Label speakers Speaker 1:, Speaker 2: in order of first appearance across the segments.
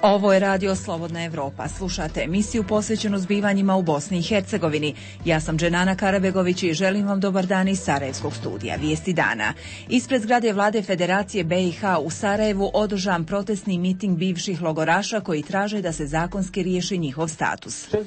Speaker 1: Ovo je Radio Slobodna Evropa. Slušate emisiju posvećenu zbivanjima u Bosni i Hercegovini. Ja sam Dženana Karabegović i želim vam dobar dan iz Sarajevskog studija. Vijesti dana. Ispred zgrade vlade Federacije BiH u Sarajevu održan protestni miting bivših logoraša koji traže da se zakonski riješi njihov status.
Speaker 2: 60%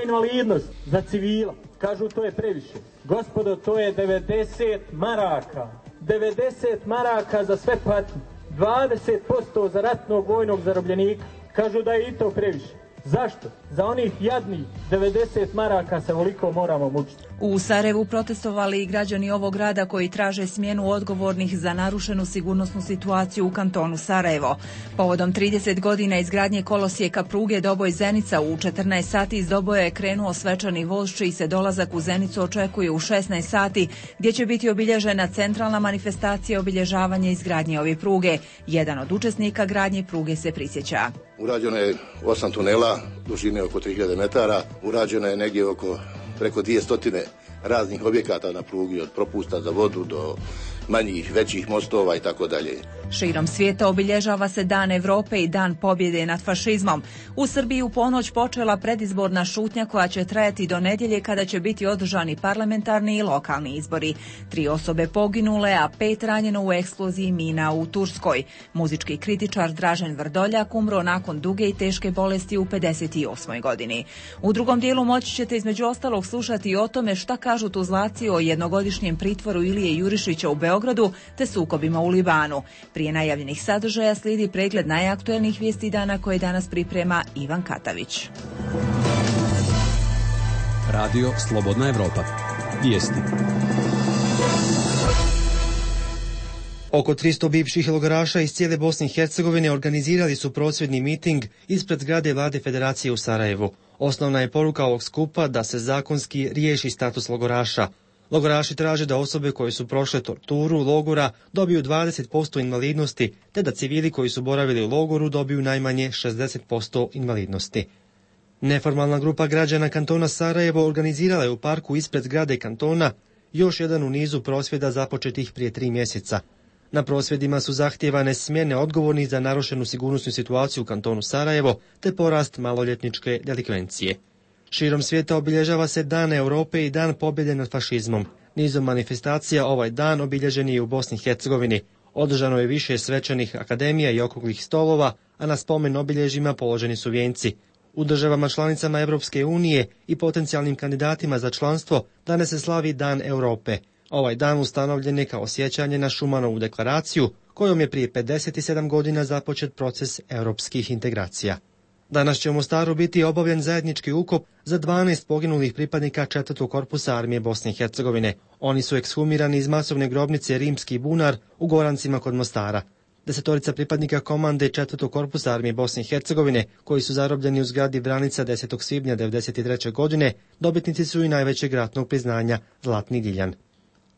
Speaker 2: invalidnost za civila. Kažu to je previše. Gospodo, to je 90 maraka. 90 maraka za sve patnje. 20% za ratnog vojnog zarobljenika. Kažu da je i to previše. Zašto? Za onih jadnih 90 maraka se ovoliko moramo mučiti.
Speaker 1: U Sarajevu protestovali i građani ovog grada koji traže smjenu odgovornih za narušenu sigurnosnu situaciju u kantonu Sarajevo. Povodom 30 godina izgradnje kolosijeka pruge Doboj-Zenica u 14 sati iz Doboja je krenuo svečani voz čiji se dolazak u Zenicu očekuje u 16 sati gdje će biti obilježena centralna manifestacija obilježavanja izgradnje ove pruge. Jedan od učesnika gradnje pruge se prisjeća.
Speaker 3: Urađeno je 8 tunela, dužine oko 3000 metara, urađeno je negdje preko 200 raznih objekata na prugi, od propusta za vodu do manjih, većih mostova i tako dalje.
Speaker 1: Širom svijeta obilježava se Dan Europe i Dan pobjede nad fašizmom. U Srbiji u ponoć počela predizborna šutnja koja će trajati do nedjelje kada će biti održani parlamentarni i lokalni izbori. 3 osobe poginule, a 5 ranjeno u eksploziji mina u Turskoj. Muzički kritičar Dražen Vrdoljak umro nakon duge i teške bolesti u 58. godini. U drugom dijelu moći ćete između ostalog slušati o tome šta kažu Tuzlaci o jednogodišnjem pritvoru Ilije Jurišića u Beogradu te sukobima u Libanu. Prije najavljenih sadržaja slijedi pregled najaktuelnijih vijesti dana koje danas priprema Ivan Katavić.
Speaker 4: Radio Slobodna Evropa. Vijesti. Oko 300 bivših logoraša iz cijele Bosne i Hercegovine organizirali su prosvjedni miting ispred zgrade vlade Federacije u Sarajevu. Osnovna je poruka ovog skupa da se zakonski riješi status logoraša. Logoraši traže da osobe koje su prošle torturu logora dobiju 20% invalidnosti, te da civili koji su boravili u logoru dobiju najmanje 60% invalidnosti. Neformalna grupa građana kantona Sarajevo organizirala je u parku ispred zgrade kantona još jedan u nizu prosvjeda započetih prije 3 mjeseca. Na prosvjedima su zahtijevane smjene odgovornih za narušenu sigurnosnu situaciju u kantonu Sarajevo, te porast maloljetničke delikvencije. Širom svijeta obilježava se Dan Europe i Dan pobjede nad fašizmom. Nizom manifestacija ovaj dan obilježen je u Bosni i Hercegovini. Održano je više svečanih akademija i okruglih stolova, a na spomen obilježjima položeni su vijenci. U državama članicama Europske unije i potencijalnim kandidatima za članstvo danas se slavi Dan Europe. Ovaj dan ustanovljen je kao sjećanje na Šumanovu deklaraciju, kojom je prije 57 godina započet proces europskih integracija. Danas će u Mostaru biti obavljen zajednički ukop za 12 poginulih pripadnika 4. korpusa armije Bosne i Hercegovine. Oni su ekshumirani iz masovne grobnice Rimski bunar u Gorancima kod Mostara. 10 pripadnika komande 4. korpusa armije Bosne i Hercegovine, koji su zarobljeni u zgradi Vranica 10. svibnja 1993. godine, dobitnici su i najvećeg ratnog priznanja Zlatni Diljan.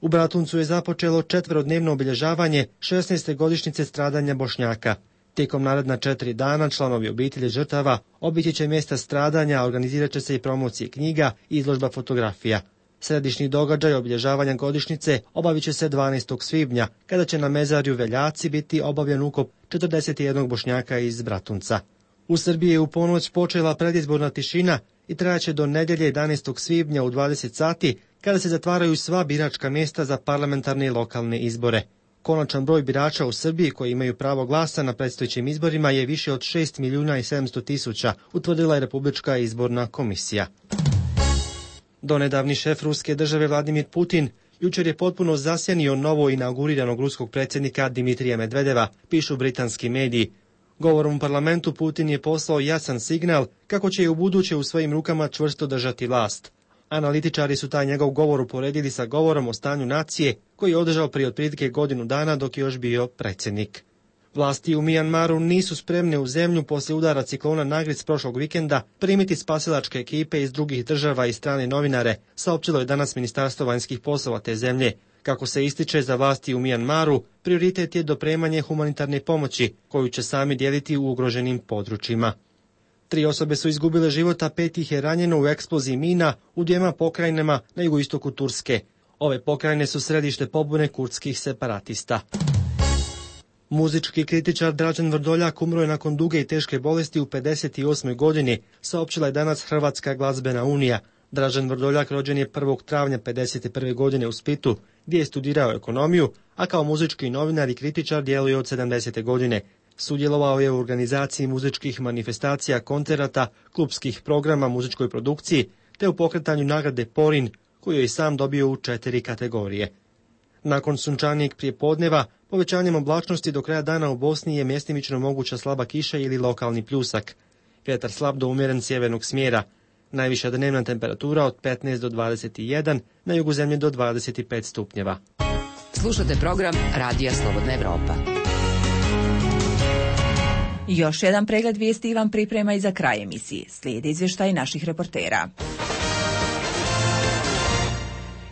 Speaker 4: U Bratuncu je započelo 4-dnevno obilježavanje 16. godišnjice stradanja Bošnjaka. Tijekom naredna 4 dana članovi obitelji žrtava obići će mjesta stradanja, organizirat će se i promocije knjiga i izložba fotografija. Središnji događaj obilježavanja godišnjice obavit će se 12. svibnja, kada će na mezarju Veljaci biti obavljen ukop 41 Bošnjaka iz Bratunca. U Srbiji je u ponoć počela predizborna tišina i trajaće do nedjelje 11. svibnja u 20 sati, kada se zatvaraju sva biračka mjesta za parlamentarne i lokalne izbore. Konačan broj birača u Srbiji koji imaju pravo glasa na predstojećim izborima je više od 6.700.000, utvrdila je Republička izborna komisija. Donedavni šef ruske države Vladimir Putin jučer je potpuno zasjenio novo inauguriranog ruskog predsjednika Dimitrija Medvedeva, pišu britanski mediji. Govorom u parlamentu Putin je poslao jasan signal kako će i ubuduće u svojim rukama čvrsto držati vlast. Analitičari su taj njegov govor uporedili sa govorom o stanju nacije koji je održao prije otprilike godinu dana dok je još bio predsjednik. Vlasti u Mijanmaru nisu spremne u zemlju poslije udara ciklona Nagric prošlog vikenda primiti spasilačke ekipe iz drugih država i strane novinare, saopćilo je danas Ministarstvo vanjskih poslova te zemlje. Kako se ističe, za vlasti u Mijanmaru prioritet je dopremanje humanitarne pomoći koju će sami dijeliti u ugroženim područjima. 3 osobe su izgubile život, a 5 ih je ranjeno u eksploziji mina u 2 pokrajinama na jugoistoku Turske. Ove pokrajine su središte pobune kurdskih separatista. Muzički kritičar Dražen Vrdoljak umro je nakon duge i teške bolesti u 58. godini, saopćila je danas Hrvatska glazbena unija. Dražen Vrdoljak rođen je 1. travnja 51. godine u Splitu, gdje je studirao ekonomiju, a kao muzički novinar i kritičar djeluje od 70. godine. Sudjelovao je u organizaciji muzičkih manifestacija, koncerata, klubskih programa, muzičkoj produkciji, te u pokretanju nagrade Porin, koju je i sam dobio u 4 kategorije. Nakon sunčanijeg prijepodneva, povećanjem oblačnosti do kraja dana u Bosni je mjestimično moguća slaba kiša ili lokalni pljusak. Vjetar slab do umjeren sjevernog smjera. Najviša dnevna temperatura od 15 do 21, na jugu zemlje do 25 stupnjeva.
Speaker 5: Slušate program Radija Slobodna Evropa.
Speaker 1: Još jedan pregled vijesti vam priprema i za kraj emisije. Slijedi izvještaj naših reportera.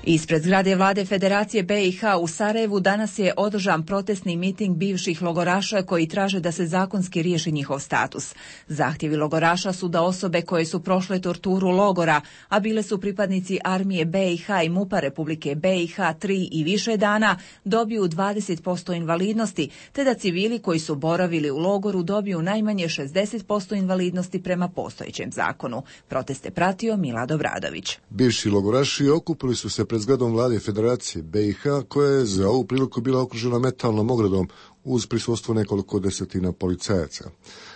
Speaker 1: Ispred zgrade vlade Federacije BiH u Sarajevu danas je održan protestni miting bivših logoraša koji traže da se zakonski riješi njihov status. Zahtjevi logoraša su da osobe koje su prošle torturu logora, a bile su pripadnici armije BiH i MUP-a Republike BiH 3 i više dana, dobiju 20% invalidnosti, te da civili koji su boravili u logoru dobiju najmanje 60% invalidnosti prema postojećem zakonu. Proteste pratio Milad Obradović.
Speaker 6: Bivši logoraši okupili su se pred zgradom vlade Federacije BiH, koja je za ovu priliku bila okružena metalnom ogradom uz prisustvo nekoliko desetina policajaca.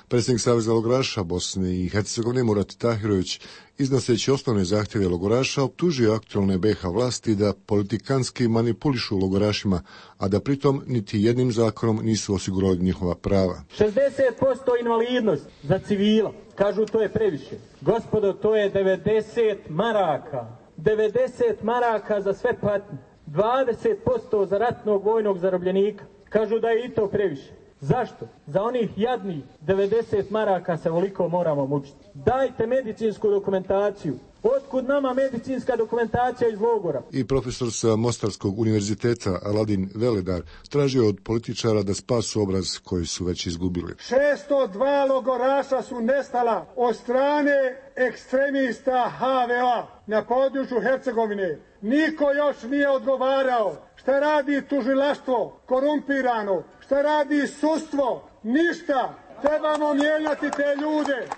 Speaker 6: Predsjednik Saveza logoraša Bosne i Hercegovine Murat Tahirović, iznoseći osnovne zahtjeve logoraša, optužio aktualne BiH vlasti da politikanski manipulišu logorašima, a da pritom niti jednim zakonom nisu osigurali njihova prava.
Speaker 2: 60% invalidnost za civila. Kažu to je previše. Gospodo, to je 90 maraka. 90 maraka za sve patnje, 20% za ratnog vojnog zarobljenika. Kažu da je i to previše. Zašto? Za onih jadnih 90 maraka se ovoliko moramo mučiti. Dajte medicinsku dokumentaciju. Otkud nama medicinska dokumentacija iz logora?
Speaker 6: I profesor sa Mostarskog univerziteta Aladin Veledar tražio od političara da spasu obraz koji su već izgubili.
Speaker 7: 602 logoraša su nestala od strane ekstremista HVA na području Hercegovine. Niko još nije odgovarao. Šta radi tužilaštvo? Korumpirano. Šta radi sudstvo? Ništa. Trebamo mijenjati te ljude.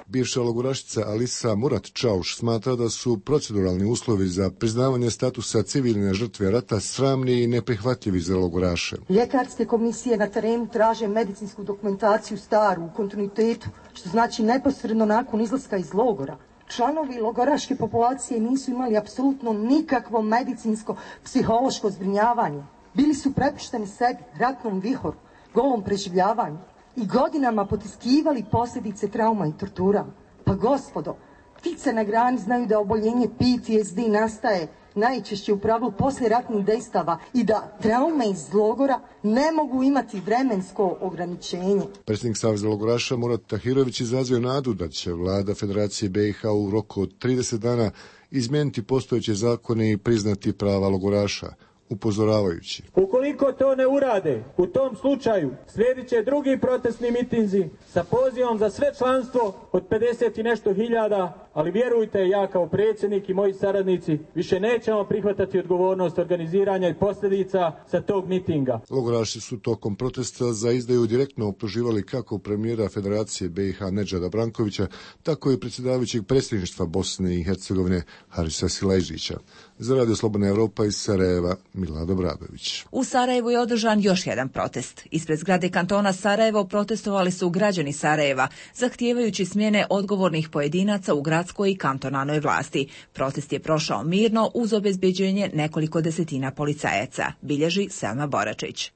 Speaker 6: Bivša logorašica Alisa Murat Čauš smatra da su proceduralni uslovi za priznavanje statusa civilne žrtve rata sramni i neprihvatljivi za logoraše.
Speaker 8: Ljekarske komisije na terenu traže medicinsku dokumentaciju staru u kontinuitetu, što znači neposredno nakon izlaska iz logora. Članovi logoraške populacije nisu imali apsolutno nikakvo medicinsko, psihološko zbrinjavanje. Bili su prepušteni sebi, ratnom vihoru, golom preživljavanju i godinama potiskivali posljedice trauma i tortura. Pa gospodo, ptice na grani znaju da oboljenje PTSD nastaje najčešće u pravilu poslije ratnih dejstava i da traume iz logora ne mogu imati vremensko ograničenje.
Speaker 6: Predsjednik Saveza logoraša Murat Tahirović izrazio nadu da će vlada Federacije BiH u roku od 30 dana izmijeniti postojeće zakone i priznati prava logoraša, upozoravajući.
Speaker 2: Ukoliko to ne urade, u tom slučaju slijedit će drugi protestni mitinzi sa pozivom za sve članstvo od 50 i nešto hiljada, ali vjerujte, ja kao predsjednik i moji saradnici više nećemo prihvatati odgovornost organiziranja i posljedica sa tog mitinga.
Speaker 6: Logoraši su tokom protesta za izdaju direktno optuživali kako premijera Federacije BiH Nedžada Brankovića, tako i predsjedavajućeg predsjedništva Bosne i Hercegovine Harisa Silajžića. Za Radio Slobodna Evropa iz Sarajeva, Milad Obradović.
Speaker 1: U Sarajevu je održan još jedan protest. Ispred zgrade kantona Sarajevo protestovali su građani Sarajeva, zahtijevajući smjene odgovornih pojedinaca u gradskoj i kantonalnoj vlasti. Protest je prošao mirno uz obezbeđenje nekoliko desetina policajaca, bilježi Selma Boračić.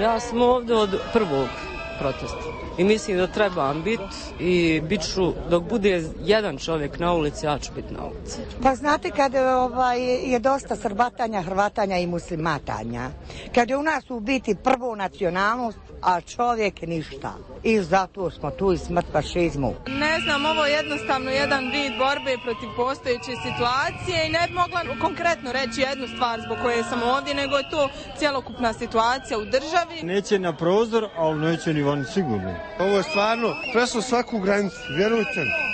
Speaker 9: Ja sam ovdje od prvog protesta i mislim da trebam biti i bit ću, dok bude jedan čovjek na ulici, ja ću biti na ulici.
Speaker 10: Pa znate kad je dosta srbatanja, hrvatanja i muslimatanja, kad je u nas u biti prvo nacionalnost, a čovjek ništa. I zato smo tu i smrt fašizmu.
Speaker 11: Ne znam, ovo je jednostavno jedan vid borbe protiv postojeće situacije i ne bi mogla konkretno reći jednu stvar zbog koje sam ovdje, nego je to cjelokupna situacija u državi.
Speaker 12: Neće na prozor, ali neće ni van sigurno. Ovo je stvarno prešlo svaku granicu, vjerujte mi.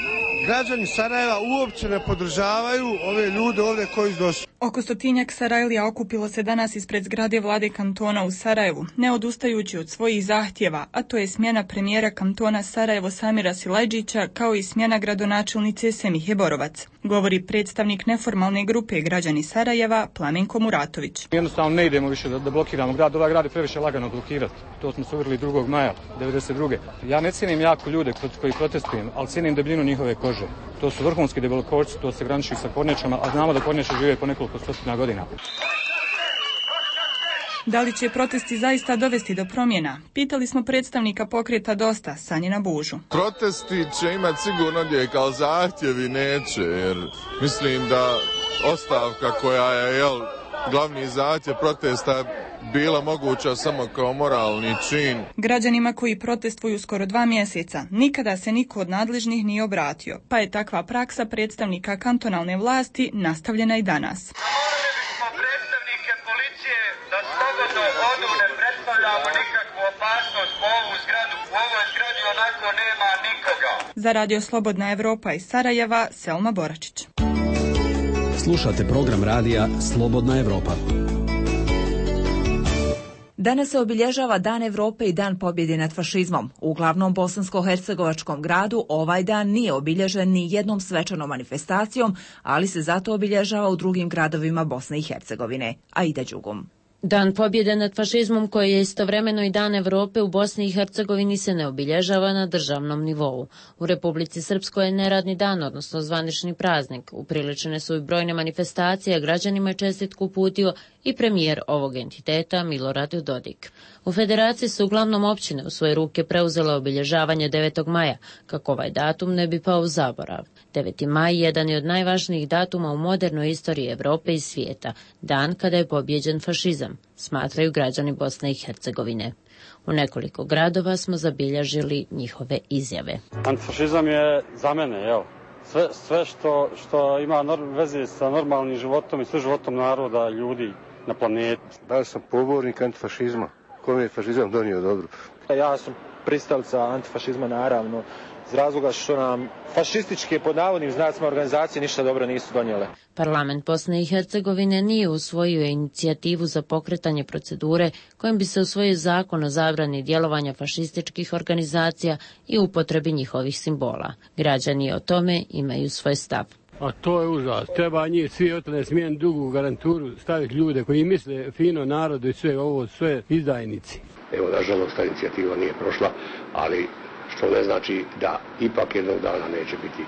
Speaker 12: Građani Sarajeva uopće ne podržavaju ove ljude ovdje koji su došli.
Speaker 13: Oko 100-tinjak Sarajlija okupilo se danas ispred zgrade vlade kantona u Sarajevu, ne odustajući od svojih zahtjeva, a to je smjena premijera kantona Sarajevo Samira Silajdžića kao i smjena gradonačelnice Semihe Borovac, govori predstavnik neformalne grupe Građani Sarajeva Plamenko Muratović.
Speaker 14: Jednostavno ne idemo više da blokiramo grad, ovaj grad je previše lagano blokirati. To smo se uvjerili 2. maja 1992. Ja ne cijenim jako ljude koji protestujem, ali cijenim debljinu njihove kože. To su vrhunski debelkošci, to se graniči sa kornjačama, a znamo da kornjače žive po nekoliko stotina godina.
Speaker 13: Da li će protesti zaista dovesti do promjena? Pitali smo predstavnika pokreta Dosta, Sanjina Bužu.
Speaker 15: Protesti će imati sigurno gdje, kao zahtjevi neće, jer mislim da ostavka koja je glavni zahtjev protesta bila moguća samo kao moralni čin.
Speaker 13: Građanima koji protestuju skoro 2 mjeseca nikada se niko od nadležnih nije obratio, pa je takva praksa predstavnika kantonalne vlasti nastavljena i danas.
Speaker 16: Molili smo predstavnike policije da slobodno odu, ne predstavljamo nikakvu opasnost po ovu zgradu. U ovoj zgradi onako nema nikoga.
Speaker 13: Za Radio Slobodna Evropa iz Sarajeva, Selma Boračić.
Speaker 17: Slušate program radija Slobodna Evropa.
Speaker 1: Danas se obilježava Dan Evrope i Dan pobjede nad fašizmom. U glavnom bosansko-hercegovačkom gradu ovaj dan nije obilježen ni jednom svečanom manifestacijom, ali se zato obilježava u drugim gradovima Bosne i Hercegovine. Aida Đugum.
Speaker 18: Dan pobjede nad fašizmom, koji je istovremeno i Dan Evrope, u Bosni i Hercegovini se ne obilježava na državnom nivou. U Republici Srpskoj je neradni dan, odnosno zvanični praznik. Upriličene su i brojne manifestacije, a građanima je čestitku uputio i premijer ovog entiteta Milorad Dodik. U Federaciji su uglavnom općine u svoje ruke preuzele obilježavanje 9. maja, kako ovaj datum ne bi pao u zaborav. 9. maj jedan je od najvažnijih datuma u modernoj istoriji Evrope i svijeta, dan kada je pobjeđen fašizam, smatraju građani Bosne i Hercegovine. U nekoliko gradova smo zabilježili njihove izjave.
Speaker 19: Antifašizam je za mene, sve što ima veze sa normalnim životom i sve životom naroda, ljudi na planeti.
Speaker 20: Da sam pobornik antifašizma. Kome je fašizam donio dobro?
Speaker 21: Ja sam pristalica antifašizma, naravno, iz razloga što nam fašističke, pod navodnim znacima, organizacije ništa dobro nisu donijele.
Speaker 18: Parlament Bosne i Hercegovine nije usvojio inicijativu za pokretanje procedure kojim bi se usvojio zakon o zabrani djelovanja fašističkih organizacija i upotrebi njihovih simbola. Građani o tome imaju svoj stav.
Speaker 22: A to je užas. Treba njih svi otne smijen dugu garanturu staviti ljude koji misle fino narodu i sve ovo, sve izdajnici.
Speaker 23: Evo, nažalost, ta inicijativa nije prošla, ali što ne znači da ipak jednog dana neće biti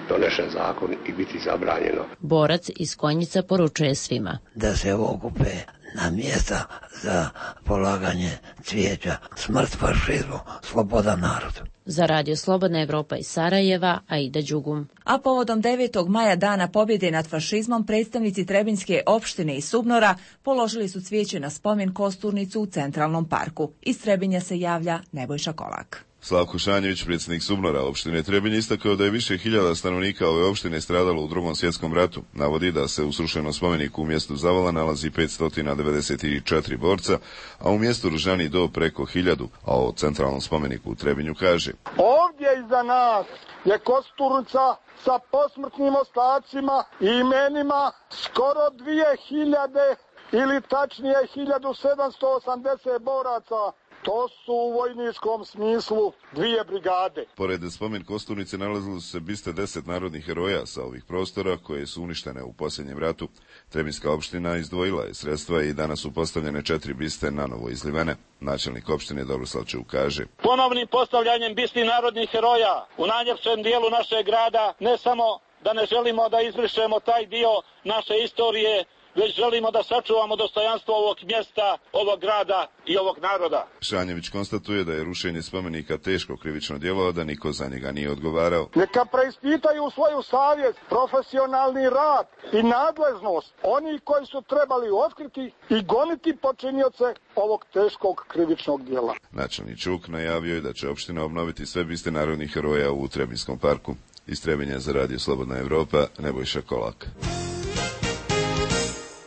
Speaker 23: donešen zakon i biti zabranjeno.
Speaker 18: Borac iz Konjica poručuje svima
Speaker 24: da se okupe na mjesta za polaganje cvijeća. Smrt fašizmu, sloboda narodu.
Speaker 18: Za Radio Slobodna Evropa iz Sarajeva, Aida Đugum.
Speaker 1: A povodom 9. maja Dana pobjede nad fašizmom, predstavnici Trebinjske opštine i Subnora položili su cvijeće na spomen kosturnicu u Centralnom parku. Iz Trebinja se javlja Nebojša Kolak.
Speaker 25: Slavko Šanjević, predsjednik Subnora opštine Trebinj, istakao da je više hiljada stanovnika ove opštine stradalo u Drugom svjetskom ratu. Navodi da se u srušenom spomeniku u mjestu Zavala nalazi 594 borca, a u mjestu Ružani do preko 1000, a o centralnom spomeniku u Trebinju kaže:
Speaker 7: Ovdje iza nas je kosturnica sa posmrtnim ostacima i imenima skoro 2000 ili tačnije 1780 boraca. To su u vojničkom smislu 2 brigade.
Speaker 25: Pored spomen kosturnice nalazilo se biste 10 narodnih heroja sa ovih prostora koje su uništene u posljednjem ratu. Trebinjska opština izdvojila je sredstva i danas su postavljene 4 biste nanovo izlivene. Načelnik opštine Dobroslav Čuk kaže:
Speaker 26: Ponovnim postavljanjem bisti narodnih heroja u najljepšem dijelu našeg grada ne samo da ne želimo da izbrišemo taj dio naše istorije, već želimo da sačuvamo dostojanstvo ovog mjesta, ovog grada i ovog naroda.
Speaker 25: Šanjević konstatuje da je rušenje spomenika teško krivično djelo, a da niko za njega nije odgovarao.
Speaker 7: Neka preispitaju svoju savjest, profesionalni rad i nadležnost oni koji su trebali otkriti i goniti počinioce ovog teškog krivičnog djela.
Speaker 25: Načelnik Čuk najavio je da će opština obnoviti sve biste narodnih heroja u Trebinjskom parku. Iz Trebinja za Radio Slobodna Evropa, Nebojša Kolak.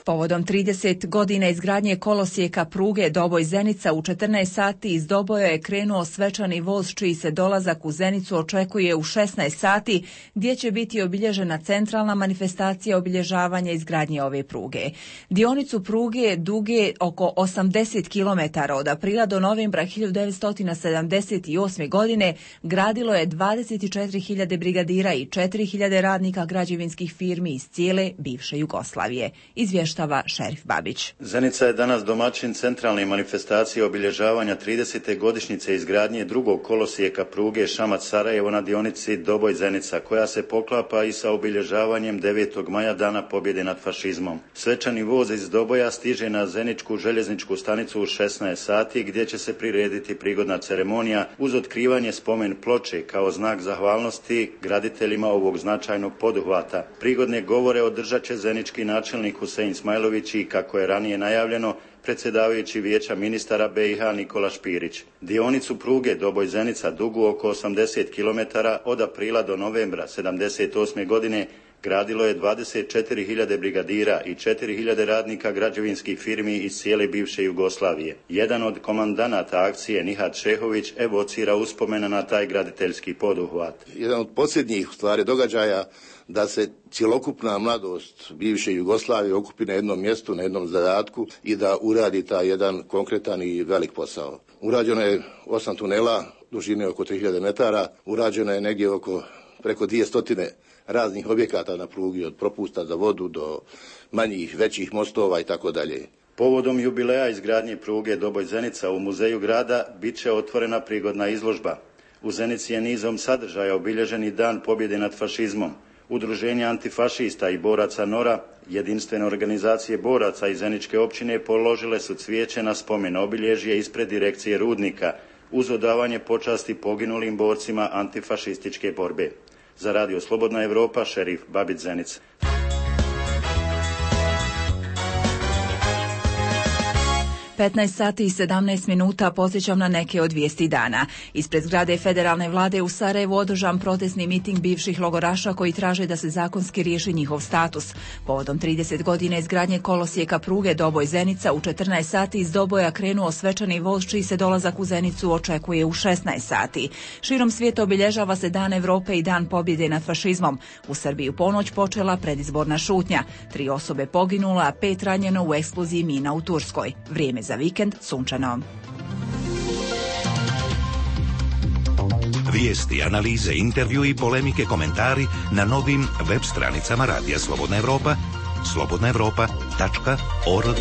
Speaker 1: Povodom 30 godina izgradnje kolosijeka pruge Doboj-Zenica u 14 sati iz Doboja je krenuo svečani voz čiji se dolazak u Zenicu očekuje u 16 sati gdje će biti obilježena centralna manifestacija obilježavanja izgradnje ove pruge. Dionicu pruge duge oko 80 km od aprila do novembra 1978. godine gradilo je 24.000 brigadira i 4.000 radnika građevinskih firmi iz cijele bivše Jugoslavije. Izvještava Šerif Babić.
Speaker 2: Zenica je danas domaćin centralne manifestacije obilježavanja 30. godišnjice izgradnje drugog kolosijeka pruge Šamac-Sarajevo na dionici Doboj-Zenica, koja se poklapa i sa obilježavanjem 9. maja Dana pobjede nad fašizmom. Svečani voz iz Doboja stiže na Zeničku željezničku stanicu u 16 sati gdje će se prirediti prigodna ceremonija uz otkrivanje spomen ploče kao znak zahvalnosti graditeljima ovog značajnog poduhvata. Prigodne govore održat će zenički načelnik Husein Smajlović i, kako je ranije najavljeno, predsjedavajući Vijeća ministara BiH Nikola Špirić. Dionicu pruge Doboj-Zenica dugu oko 80 km od aprila do novembra 1978. godine gradilo je 24.000 brigadira i 4.000 radnika građevinskih firmi iz cijele bivše Jugoslavije. Jedan od komandanata akcije, Nihat Šehović, evocira uspomena na taj graditeljski poduhvat.
Speaker 3: Jedan od posljednjih stvari događaja da se cjelokupna mladost bivše Jugoslavije okupi na jednom mjestu, na jednom zadatku i da uradi taj jedan konkretan i velik posao. Urađeno je 8 tunela, dužine oko 3000 metara, urađeno je negdje preko 200 raznih objekata na prugi, od propusta za vodu do manjih, većih mostova i tako dalje.
Speaker 2: Povodom jubileja izgradnje pruge Doboj-Zenica u muzeju grada bit će otvorena prigodna izložba. U Zenici je nizom sadržaja obilježen i Dan pobjede nad fašizmom. Udruženja antifašista i boraca NORA, jedinstvene organizacije boraca iz Zeničke općine, položile su cvijeće na spomen obilježje ispred direkcije Rudnika uz odavanje počasti poginulim borcima antifašističke borbe. Za Radio Slobodna Evropa, Šerif Babić, Zenica.
Speaker 1: 15 sati i 17 minuta podsjećam na neke od vijesti dana. Ispred zgrade federalne vlade u Sarajevu održan protestni miting bivših logoraša koji traže da se zakonski riješi njihov status. Povodom 30 godina izgradnje kolosijeka pruge Doboj-Zenica u 14 sati iz Doboja krenuo svečani voz čiji se dolazak u Zenicu očekuje u 16 sati. Širom svijeta obilježava se Dan Evrope i Dan pobjede nad fašizmom. U Srbiji u ponoć počela predizborna šutnja. 3 osobe poginula, a 5 ranjeno u eksploziji mina u Turskoj. Vrijeme za vikend sunčano.
Speaker 4: Vijesti, analize, intervju i polemike, komentari na novim web stranicama Radija Slobodna Evropa, slobodnaevropa.org.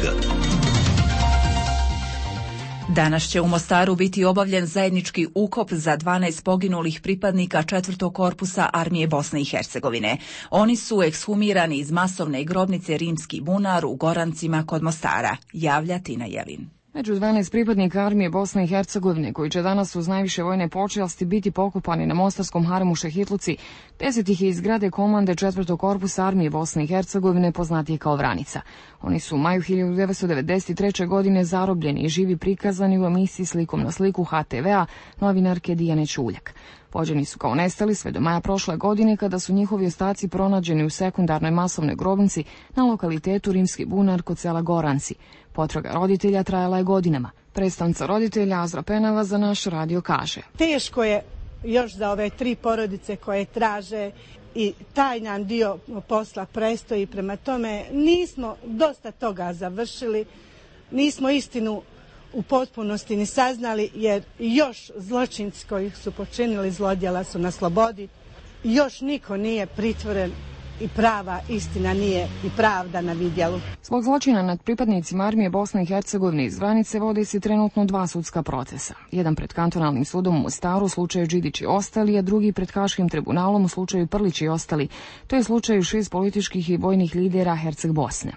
Speaker 1: Danas će u Mostaru biti obavljen zajednički ukop za 12 poginulih pripadnika 4. korpusa Armije Bosne i Hercegovine. Oni su ekshumirani iz masovne grobnice Rimski bunar u Gorancima kod Mostara, javlja Tina Jelin.
Speaker 5: Među 12 pripadnika Armije Bosne i Hercegovine, koji će danas uz najviše vojne počasti biti pokopani na mostarskom haremu Šehitluci, 10 ih je iz zgrade komande 4. korpusa Armije Bosne i Hercegovine, poznatije kao Vranica. Oni su u maju 1993. godine zarobljeni i živi prikazani u emisiji Slikom na sliku HTV-a novinarke Dijane Čuljak. Pođeni su kao nestali sve do maja prošle godine, kada su njihovi ostaci pronađeni u sekundarnoj masovnoj grobnici na lokalitetu Rimski bunar kod sela Goranci. Potraga roditelja trajala je godinama. Predstavnica roditelja Azra Penava za naš radio kaže:
Speaker 6: Teško je još za ove 3 porodice koje traže i taj nam dio posla prestoji, prema tome nismo dosta toga završili, nismo istinu u potpunosti ni saznali, jer još zločinci koji su počinili zlodjela su na slobodi, još niko nije pritvoren i prava istina nije i pravda na vidjelu.
Speaker 5: Zbog zločina nad pripadnicima Armije Bosne i Hercegovine iz Vranice vode se trenutno 2 sudska procesa. Jedan pred kantonalnim sudom u Mostaru u slučaju Đidić i ostali, a drugi pred Haškim tribunalom u slučaju Prlić i ostali. To je slučaju 6 političkih i vojnih lidera Herceg Bosne.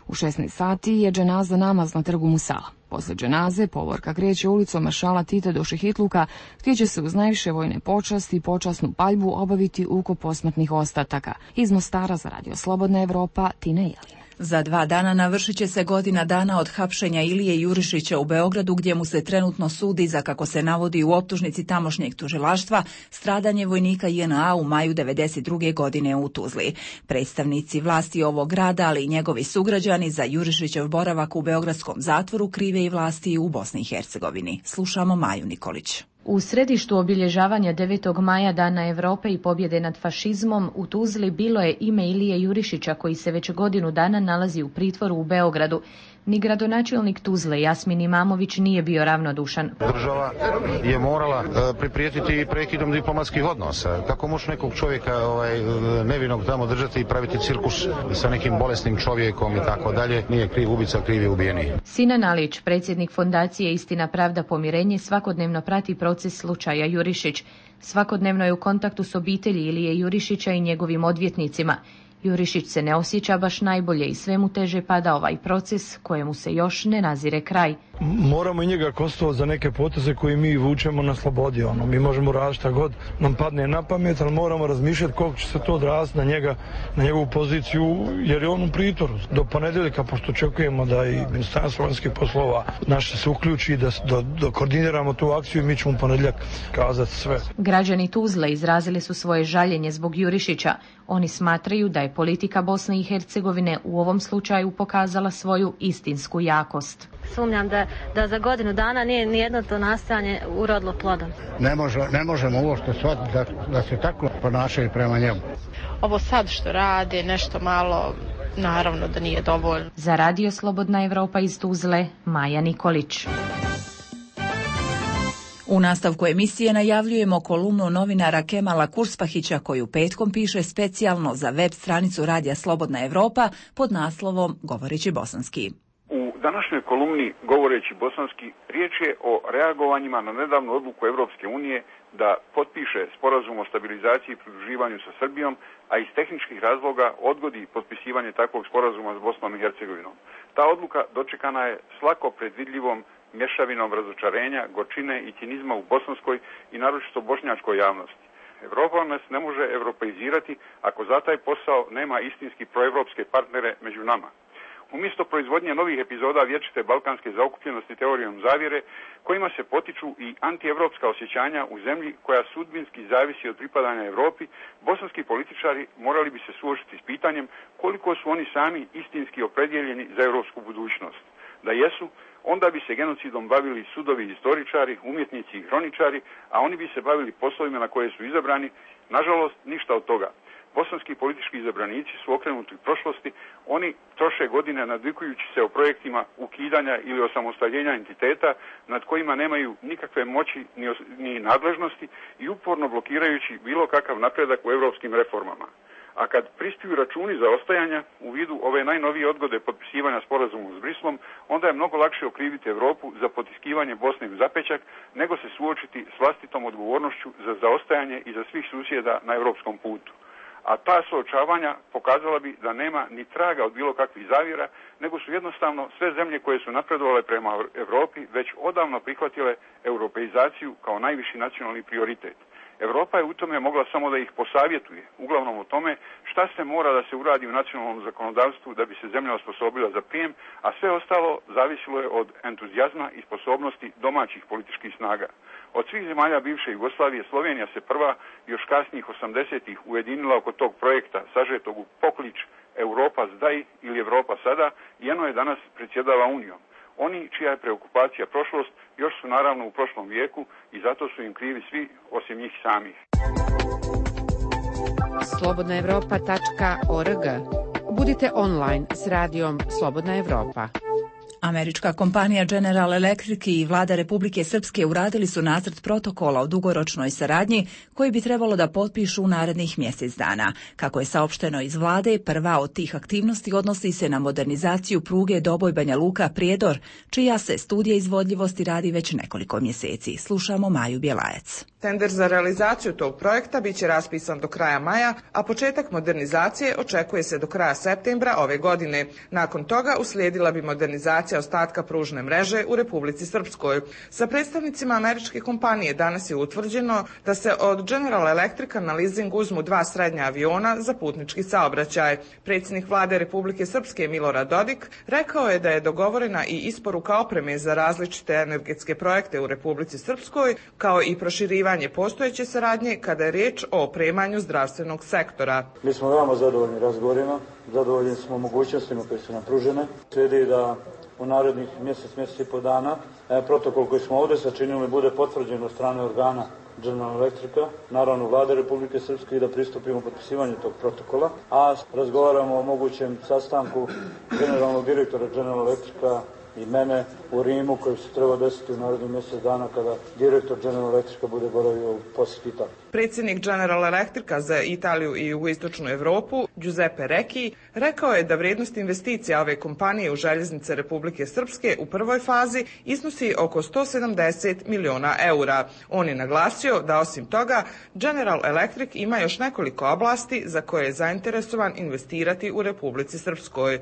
Speaker 5: U 16 sati je dženaza namaz na trgu Musala. Posle dženaze povorka kreće ulicom Maršala Tita do Šehitluka, gdje će se uz najviše vojne počasti i počasnu paljbu obaviti ukop posmrtnih ostataka. Iz Mostara za Radio Slobodna Evropa, Tina Jelin.
Speaker 1: Za 2 dana navršit će se godina dana od hapšenja Ilije Jurišića u Beogradu, gdje mu se trenutno sudi za, kako se navodi u optužnici tamošnjeg tužilaštva, stradanje vojnika JNA u maju 1992. godine u Tuzli. Predstavnici vlasti ovog grada, ali i njegovi sugrađani, za Jurišićev boravak u beogradskom zatvoru krive i vlasti u Bosni i Hercegovini. Slušamo Maju Nikolić.
Speaker 8: U središtu obilježavanja 9. maja Dana Europe i pobjede nad fašizmom u Tuzli bilo je ime Ilije Jurišića, koji se već godinu dana nalazi u pritvoru u Beogradu. Ni gradonačelnik Tuzle Jasmin Imamović nije bio ravnodušan.
Speaker 9: Država je morala priprijetiti prekidom diplomatskih odnosa. Kako može nekog čovjeka nevinog tamo držati i praviti cirkus sa nekim bolesnim čovjekom i tako dalje? Nije kriv ubica, kriv je ubijeni.
Speaker 8: Sinan Alić, predsjednik fondacije Istina, pravda, pomirenje, svakodnevno prati proces slučaja Jurišić. Svakodnevno je u kontaktu s obitelji Ilije Jurišića i njegovim odvjetnicima. Jurišić se ne osjeća baš najbolje i sve mu teže pada ovaj proces kojemu se još ne nazire kraj.
Speaker 10: Moramo i njega kostovati za neke poteze koje mi vučemo na slobodi. Mi možemo raditi šta god nam padne na pamet, ali moramo razmišljati koliko će se to odraziti na njega, na njegovu poziciju, jer je on u pritvoru. Do ponedjeljka, pošto očekujemo da i Ministarstvo vanjskih poslova naše se uključi, da koordiniramo tu akciju i mi ćemo u ponedjeljak kazati sve.
Speaker 8: Građani Tuzle izrazili su svoje žaljenje zbog Jurišića. Oni smatraju da je politika Bosne i Hercegovine u ovom slučaju pokazala svoju istinsku jakost.
Speaker 11: Sumnjam da za godinu dana nije nijedno to nastojanje urodilo plodom.
Speaker 12: Ne možemo uopšte shvatiti da se tako ponašaju prema njemu.
Speaker 14: Ovo sad što radi, nešto malo, naravno da nije dovoljno.
Speaker 8: Za Radio Slobodna Evropa iz Tuzle, Maja Nikolić.
Speaker 1: U nastavku emisije najavljujemo kolumnu novinara Kemala Kurspahića, koju petkom piše specijalno za web stranicu Radija Slobodna Evropa pod naslovom Govoreći bosanski.
Speaker 27: U današnjoj kolumni Govoreći bosanski riječ je o reagovanjima na nedavnu odluku Europske unije da potpiše sporazum o stabilizaciji i pridruživanju sa Srbijom, a iz tehničkih razloga odgodi potpisivanje takvog sporazuma s Bosnom i Hercegovinom. Ta odluka dočekana je s lako predvidljivom mješavinom razočarenja, gorčine i cinizma u bosanskoj i naročito bošnjačkoj javnosti. Evropa nas ne može europeizirati ako za taj posao nema istinski proevropske partnere među nama. Umjesto proizvodnje novih epizoda vječite balkanske zaokupljenosti teorijom zavjere, kojima se potiču i antievropska osjećanja u zemlji koja sudbinski zavisi od pripadanja Europi, bosanski političari morali bi se suočiti s pitanjem koliko su oni sami istinski opredjeljeni za europsku budućnost. Da jesu, onda bi se genocidom bavili sudovi i istoričari, umjetnici i hroničari, a oni bi se bavili poslovima na koje su izabrani. Nažalost, ništa od toga. Bosanski politički izabranici su okrenuti u prošlosti, oni troše godine nadvikujući se o projektima ukidanja ili osamostaljenja entiteta nad kojima nemaju nikakve moći ni nadležnosti i uporno blokirajući bilo kakav napredak u europskim reformama. A kad prispiju računi za ostajanja u vidu ove najnovije odgode potpisivanja sporazuma s Brislom, onda je mnogo lakše okriviti Europu za potiskivanje Bosne u zapećak, nego se suočiti s vlastitom odgovornošću za zaostajanje i za svih susjeda na europskom putu. A ta suočavanja pokazala bi da nema ni traga od bilo kakvih zavjera, nego su jednostavno sve zemlje koje su napredovale prema Europi već odavno prihvatile europeizaciju kao najviši nacionalni prioritet. Europa je u tome mogla samo da ih posavjetuje, uglavnom o tome šta se mora da se uradi u nacionalnom zakonodavstvu da bi se zemlja osposobila za prijem, a sve ostalo zavisilo je od entuzijazma i sposobnosti domaćih političkih snaga. Od svih zemalja bivše Jugoslavije Slovenija se prva, još kasnijih 80-ih, ujedinila oko tog projekta sažetog u poklič Europa zdaj ili Europa sada i eno je danas predsjedava Unijom. Oni čija je preokupacija prošlost još su naravno u prošlom vijeku i zato su im krivi svi osim njih samih.
Speaker 28: slobodnaevropa.org. Budite online s radijom Slobodna Evropa.
Speaker 1: Američka kompanija General Electric i vlada Republike Srpske uradili su nacrt protokola o dugoročnoj saradnji koji bi trebalo da potpišu u narednih mjesec dana. Kako je saopšteno iz vlade, prva od tih aktivnosti odnosi se na modernizaciju pruge Doboj-Banja Luka-Prijedor, čija se studija izvodljivosti radi već nekoliko mjeseci. Slušamo Maju Bjelajac.
Speaker 13: Tender za realizaciju tog projekta biće raspisan do kraja maja, a početak modernizacije očekuje se do kraja septembra ove godine. Nakon toga uslijedila bi modernizacija ostatka pružne mreže u Republici Srpskoj. Sa predstavnicima američke kompanije danas je utvrđeno da se od General Electrica na leasing uzmu 2 srednja aviona za putnički saobraćaj. Predsjednik vlade Republike Srpske Milorad Dodik rekao je da je dogovorena i isporuka opreme za različite energetske projekte u Republici Srpskoj, kao i proširivanje postojeće saradnje kada je riječ o opremanju zdravstvenog sektora.
Speaker 15: Mi smo veoma zadovoljni razgovorima, zadovoljni smo mogućnostima koje su nam pružene. Slijedi da u narednih mjesec i po dana protokol koji smo ovdje sačinili bude potvrđen od strane organa General Electrica, naravno vlade Republike Srpske, i da pristupimo potpisivanju tog protokola, a razgovaramo o mogućem sastanku generalnog direktora General Electrica i mene u Rimu, koji se treba desiti u narednih mjesec dana kada direktor General Electrica bude boravio u posjeti Italiji.
Speaker 13: Predsjednik General Electrica za Italiju i jugoistočnu Europu, Giuseppe Recchi, rekao je da vrijednost investicija ove kompanije u željeznice Republike Srpske u prvoj fazi iznosi oko 170 miliona eura. On je naglasio da osim toga General Electric ima još nekoliko oblasti za koje je zainteresovan investirati u Republici Srpskoj.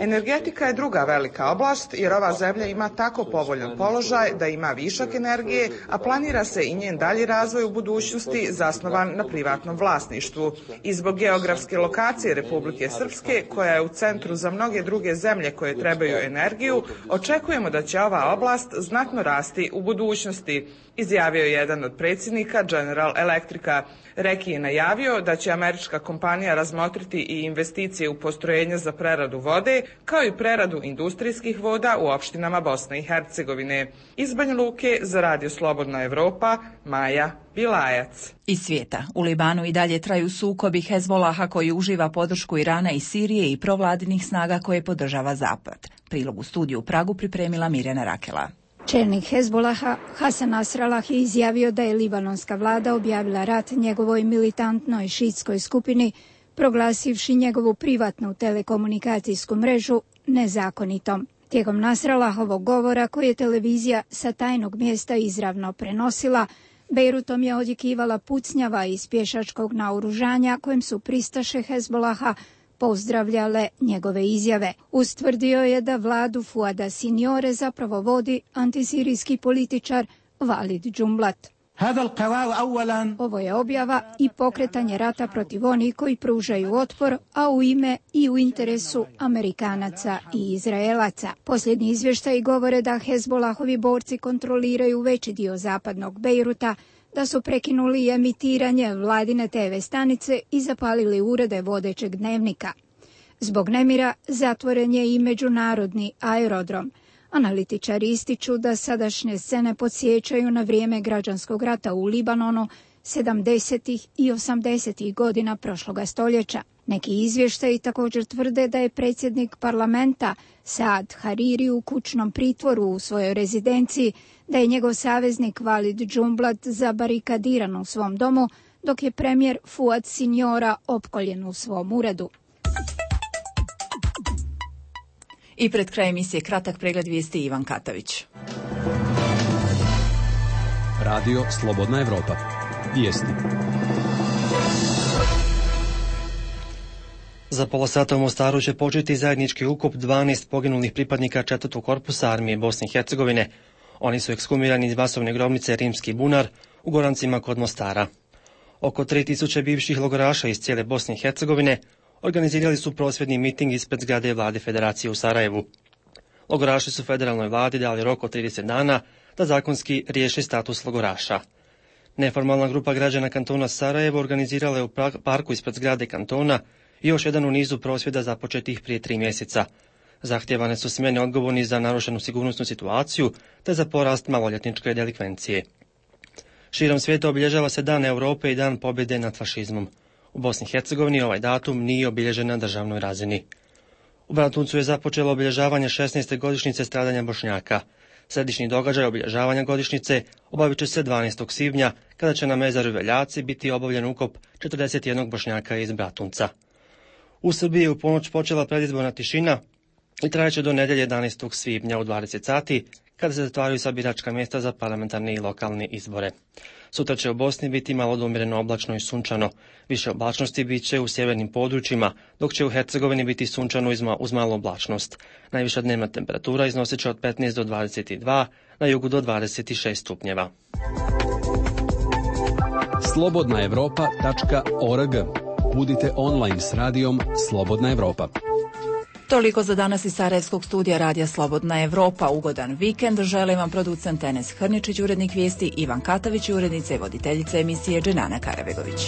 Speaker 13: Energetika je druga velika oblast jer ova zemlja ima tako povoljan položaj da ima višak energije, a planira se i njen dalji razvoj u budućnosti zasnovan na privatnom vlasništvu. I zbog geografske lokacije Republike Srpske, koja je u centru za mnoge druge zemlje koje trebaju energiju, očekujemo da će ova oblast znatno rasti u budućnosti, izjavio je jedan od predsjednika General Electrica. Recchi je najavio da će američka kompanija razmotriti i investicije u postrojenja za preradu vode, kao i preradu industrijskih voda u opštinama Bosne i Hercegovine. Iz Banja Luke za Radio Slobodna Evropa, Maja Bilajac.
Speaker 1: Iz svijeta. U Libanu i dalje traju sukobi Hezbolaha koji uživa podršku Irana i Sirije i provladinih snaga koje podržava Zapad. Prilog u studiju u Pragu pripremila Mirjana Rakela.
Speaker 16: Čelnik Hezbolaha Hasan Nasrallah je izjavio da je libanonska vlada objavila rat njegovoj militantnoj šiitskoj skupini, proglasivši njegovu privatnu telekomunikacijsku mrežu nezakonitom. Tijekom Nasrallahovog govora, koji je televizija sa tajnog mjesta izravno prenosila, Bejrutom je odjekivala pucnjava iz pješačkog naoružanja kojim su pristaše Hezbolaha pozdravljale njegove izjave. Ustvrdio je da vladu Fuada Sinjore zapravo vodi antisirijski političar Walid Jumblat. Ovo je objava i pokretanje rata protiv onih koji pružaju otpor, a u ime i u interesu Amerikanaca i Izraelaca. Posljednji izvještaji govore da Hezbolahovi borci kontroliraju veći dio zapadnog Bejruta, da su prekinuli emitiranje vladine TV stanice i zapalili urede vodećeg dnevnika. Zbog nemira zatvoren je i međunarodni aerodrom. Analitičari ističu da sadašnje scene podsjećaju na vrijeme građanskog rata u Libanonu 70. i 80. godina prošloga stoljeća. Neki izvještaji također tvrde da je predsjednik parlamenta Saad Hariri u kućnom pritvoru u svojoj rezidenciji, da je njegov saveznik Walid Jumblat zabarikadiran u svom domu, dok je premijer Fuad Sinjora opkoljen u svom uredu.
Speaker 1: I pred krajem emisije kratak pregled vijesti Ivan Katavić.
Speaker 17: Radio Slobodna Evropa. Vijesti.
Speaker 19: Za pola sata u Mostaru će početi zajednički ukop 12 poginulih pripadnika 4. korpusa armije Bosne i Hercegovine. Oni su ekshumirani iz masovne grobnice Rimski bunar u Gorancima kod Mostara. Oko 3000 bivših logoraša iz cijele Bosne i Hercegovine organizirali su prosvjedni miting ispred zgrade vlade Federacije u Sarajevu. Logoraši su federalnoj vladi dali rok od 30 dana da zakonski riješi status logoraša. Neformalna grupa građana kantona Sarajevo organizirala je u parku ispred zgrade kantona i još jedan u nizu prosvjeda započetih prije 3 mjeseca. Zahtjevane su smjene odgovorni za narušenu sigurnosnu situaciju te za porast maloljetničke delikvencije. Širom svijeta obilježava se Dan Europe i Dan pobjede nad fašizmom. U Bosni i Hercegovini ovaj datum nije obilježen na državnoj razini. U Bratuncu je započelo obilježavanje 16. godišnjice stradanja Bošnjaka. Središnji događaj obilježavanja godišnjice obavit će se 12. svibnja, kada će na mezaru Veljaci biti obavljen ukop 41 Bošnjaka iz Bratunca. U Srbiji je u ponoć počela predizborna tišina, i trajaće do nedjelje 11. svibnja u 20 sati, kada se zatvaraju sva biračka mjesta za parlamentarne i lokalne izbore. Sutra će u Bosni biti malo umjereno oblačno i sunčano. Više oblačnosti bit će u sjevernim područjima, dok će u Hercegovini biti sunčano uz malu oblačnost. Najviša dnevna temperatura iznosit će od 15 do 22, na jugu do 26 stupnjeva.
Speaker 17: slobodnaevropa.org. Budite online s radijom Slobodna Evropa.
Speaker 1: Toliko za danas iz Sarajevskog studija Radija Slobodna Evropa. Ugodan vikend želim vam producent Enes Hrničić, urednik vijesti Ivan Katavić i urednica i voditeljica emisije Dženana Karabegović.